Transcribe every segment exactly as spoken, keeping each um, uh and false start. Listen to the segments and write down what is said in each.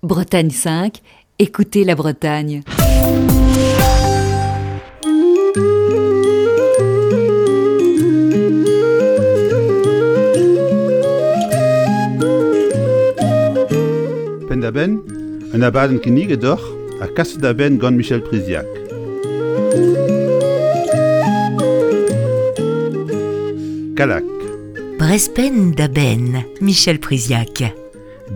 Bretagne cinq, écoutez la Bretagne. Penn-da-benn, un abadenn kinniget deoc'h ha kaset da benn gant Michel Priziac. Kallag. Brezh penn da benn, Michel Priziac.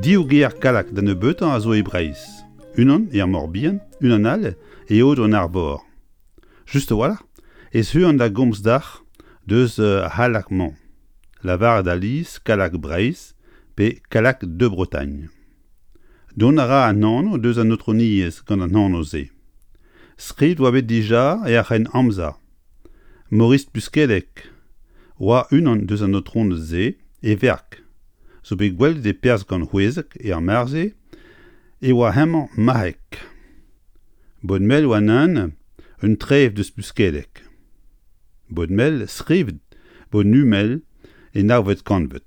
Div gêr Kallag da nebeutañ a zo e Breizh. Unan er Mor-Bihan, unan all e Aodoù-an-Arvor. Just a-walc'h e zeuan da gomz deoc'h deus ar C'hallag-mañ. Lavaret alies Kallag Breizh pe Callac de Bretagne. Dont a ra an anv deus an aotrouniezh gant an anv-se. Skrivet oa bet dija er C'hrenn-Amzer. Maurice Puskelleg oa unan deus an aotroned-se e verk zo bet gwelet e perzh gant c'hwezek er mare-se e oa hemañ marc'heg. Bodmel oa neuze un trev deus Puskelleg. Bodmel skrivet Bodnumel e navet kantved.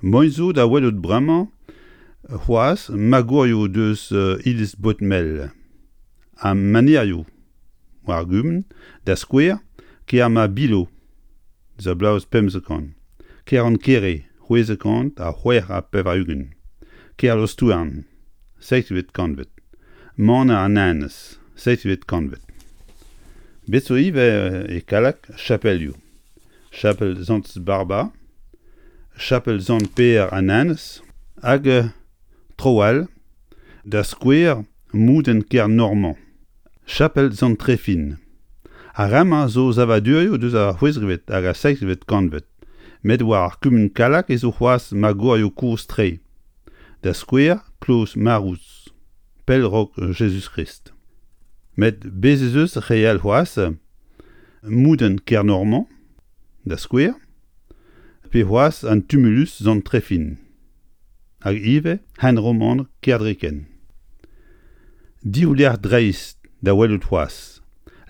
Moaien zo da welout bremañ c'hoazh magourioù deus iliz Bodmel ha manerioù war ar gumun, da skouer Kermabilo eus ar bloavezh pemzek kant, Kerankere c'hwezek kant ha c'hwec'h ha pevar-ugent, Kerlostouarn seizhvet kantved, Maner an Enez seizhvet kantved. Bet zo ivez e Kallag chapelioù. Chapel Sant Barba, Chapel Sant-Pêr an Enez hag traoù all, da skouer Moudenn Kernormañ, Chapel Sant-Trefin. Ar re-mañ zo savadurioù deus ar c'hwezekvet hag ar seizhvet kantved, met war ar kumun Kallag ez zo c'hoazh magourioù kozh-tre. Da skouer Kloz Marouz, pell 'raok Jezuz-Krist. Met bez' ez eus re all c'hoazh, Moudenn Kernormañ, da skouer, pe c'hoazh an Tumulus Sant-Trefin, hag ivez hent roman Kerdriken. Div lec'h dreist da welout c'hoazh.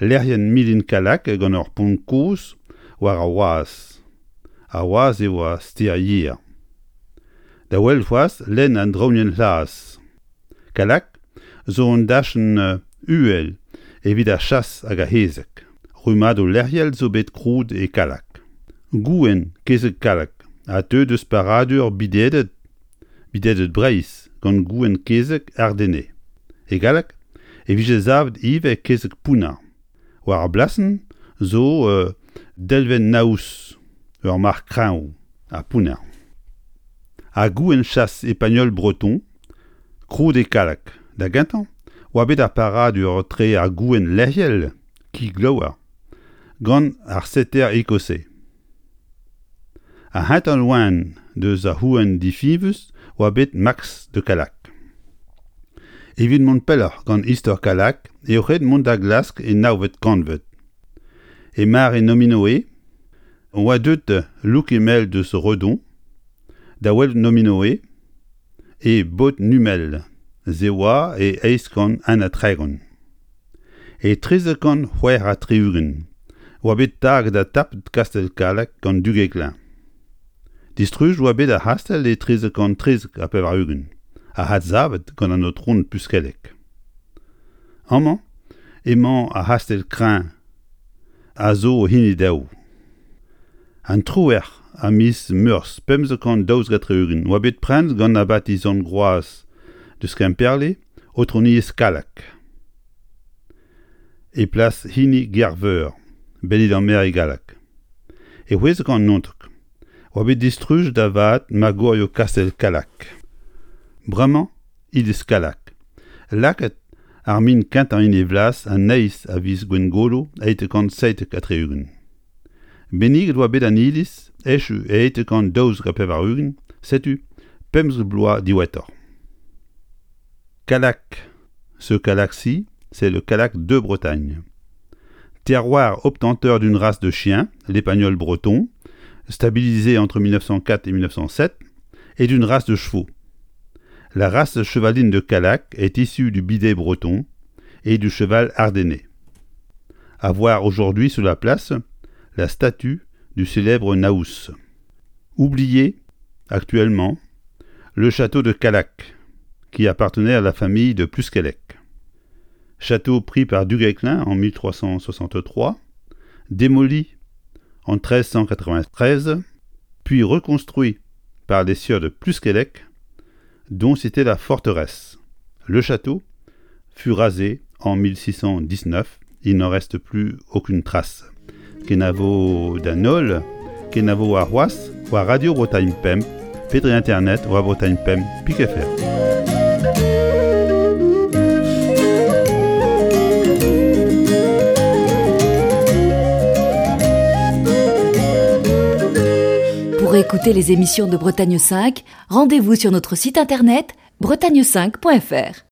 Lec'hienn Milin Kallag gant ur pont kozh war ar wazh. Ar wazh eo ar stêr Yer. Da welout c'hoazh lenn an Draoñienn C'hlas. Kallag zo un dachenn uhel evit ar chas hag ar c'hezeg. Rummadoù lec'hiel zo bet krouet e Kallag. Gouenn kezeg Kallag a teu deus paradur bideded bideded Breizh gant gouenn kezeg ardennais. E galleg e vije savet ivez kezeg pounner. War ar blasenn zo delvenn Naous, ur marc'h kreñv ha pounner. Ha gouenn chas Epagneul breton, krouet e Kallag. Da gentañ oa bet ar paradur etre ar gouenn lec'hiel, ki glaouer, gant ar setter écossais. Ar c'hentañ loen deus ar c'houenn difiñvus oa bet Max de Callac. Evit mont pelloc'h gant istor Kallag eo ret mont da glask e navet kantved. E mare Nominoe oa deuet Lokemel deus Redon da welout Nominoe e Bodnumel, se oa e eizh kant un ha tregont. E trizek kant c'hwec'h ha tri-ugent oa bet taget ha tapet kastell Kallag gant Duguesclin. Distruj oa bet ar c'hastell e trizek kant trizek ha pevar-ugent, ha adsavet gant an aotron Puskelleg. Amañ emañ ar c'hastell kreñv a zo hini dezho. An triwec'h a miz Meurzh pemzek kant daouzek ha tri-ugent oa bet prenet gant abati Sant-Groaz deus Kemperle, aotrouniezh Kallag. E plas hini Gerveur, Bennid-an-Mer e galleg. E c'hwezek kant naontek oa bet distrujet da vat magourioù kastell Kallag. Bremañ iliz Kallag. Lakaet ar min kentañ en e blas an eizh a viz Gwengolo eizh kant seitek ha tri-ugent. Benniget oa bet an iliz echu e eizh kant daouzek ha pevar-ugent, setu pemzek bloaz diwezhatoc'h. Callac. Ce Callac-ci, c'est le Callac de Bretagne. Terroir obtenteur d'une race de chiens, l'Épagnol breton, stabilisé entre mille neuf cent quatre et mille neuf cent sept, et d'une race de chevaux. La race chevaline de Callac est issue du bidet breton et du cheval ardennais. À voir aujourd'hui sur la place la statue du célèbre Naous. Oublié actuellement le château de Callac, qui appartenait à la famille de Pluskelec. Château pris par Duguesclin en mille trois cent soixante-trois, démoli en treize cent quatre-vingt-treize, puis reconstruit par les sieurs de Pluskelec, dont c'était la forteresse. Le château fut rasé en mille six cent dix-neuf, il n'en reste plus aucune trace. Kenavo da holl, kenavo ar c'hoazh, war Radio Bretagne Pemp, pe dre internet war Bretagne Pemp pik F R. Pour écouter les émissions de Bretagne cinq, rendez-vous sur notre site internet bretagne cinq point F R.